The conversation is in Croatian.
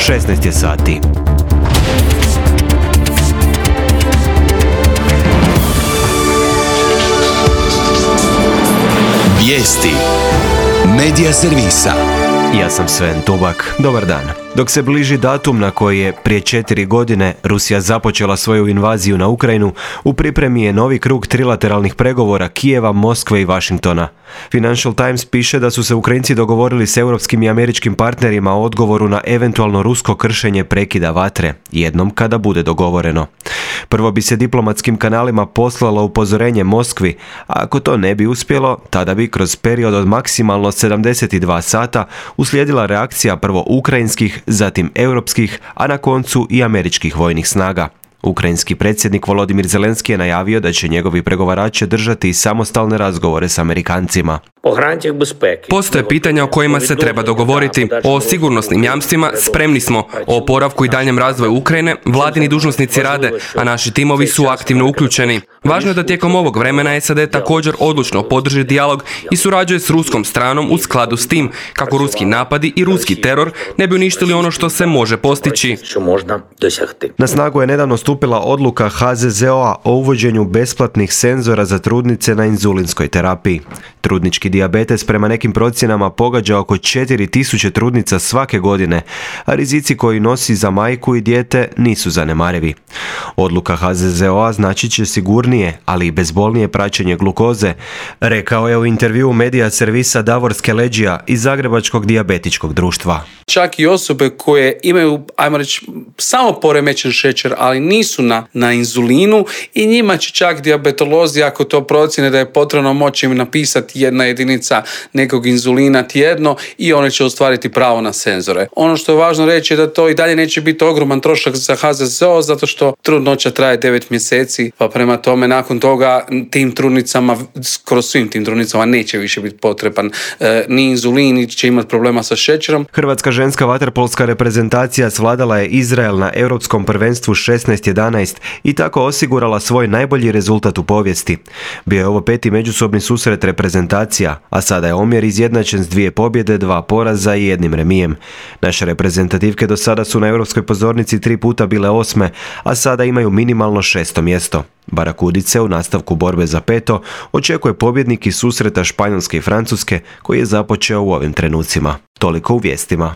16 je sati. Vijesti Medija servisa. Ja sam Sven Tubak. Dobar dan. Dok se bliži datum na koji je prije 4 godine Rusija započela svoju invaziju na Ukrajinu, u pripremi je novi krug trilateralnih pregovora Kijeva, Moskve i Washingtona. Financial Times piše da su se Ukrajinci dogovorili s europskim i američkim partnerima o odgovoru na eventualno rusko kršenje prekida vatre, jednom kada bude dogovoreno. Prvo bi se diplomatskim kanalima poslalo upozorenje Moskvi, a ako to ne bi uspjelo, tada bi kroz period od maksimalno 72 sata uslijedila reakcija prvo ukrajinskih, zatim europskih, a na koncu i američkih vojnih snaga. Ukrajinski predsjednik Volodimir Zelenski je najavio da će njegovi pregovarači držati samostalne razgovore s Amerikancima. Postoje pitanja o kojima se treba dogovoriti. O sigurnosnim jamstvima spremni smo. O oporavku i daljem razvoju Ukrajine vladini dužnosnici rade, a naši timovi su aktivno uključeni. Važno je da tijekom ovog vremena SAD također odlučno podrži dijalog i surađuje s ruskom stranom u skladu s tim kako ruski napadi i ruski teror ne bi uništili ono što se može postići. Na snagu je nedavno stupila odluka HZZO-a o uvođenju besplatnih senzora za trudnice na inzulinskoj terapiji. Trudnički dijabetes prema nekim procjenama pogađa oko 4000 trudnica svake godine, a rizici koji nosi za majku i dijete nisu zanemarivi. Odluka HZZO-a znači će sigurnije, ali i bezbolnije praćenje glukoze, rekao je u intervjuu medija servisa Davor Skeleđija iz Zagrebačkog dijabetičkog društva. Čak i osobe koje imaju, ajmo reći, samo poremećen šećer, ali nisu na inzulinu, i njima će čak dijabetolozi, ako to procjene da je potrebno, moći im napisati jedna jedinica nekog inzulina tjedno i one će ostvariti pravo na senzore. Ono što je važno reći je da to i dalje neće biti ogroman trošak za HZZO, zato što trudnoća traje 9 mjeseci, pa prema tome nakon toga tim trudnicama, skoro svim tim trudnicama neće više biti potreban ni inzulin, ni će imati problema sa šećerom. Hrvatska ženska vaterpolska reprezentacija svladala je Izrael na Europskom prvenstvu 16-11 i tako osigurala svoj najbolji rezultat u povijesti. Bio je ovo 5. međusobni susret reprezentacija, a sada je omjer izjednačen s 2 pobjede, 2 poraza i 1 remijem. Naše reprezentativke do sada su na europskoj pozornici 3 puta bile 8, a sada imaju minimalno 6. mjesto. Barakudice u nastavku borbe za 5. očekuje pobjednik iz susreta Španjolske i Francuske koji je započeo u ovim trenucima. Toliko u vijestima.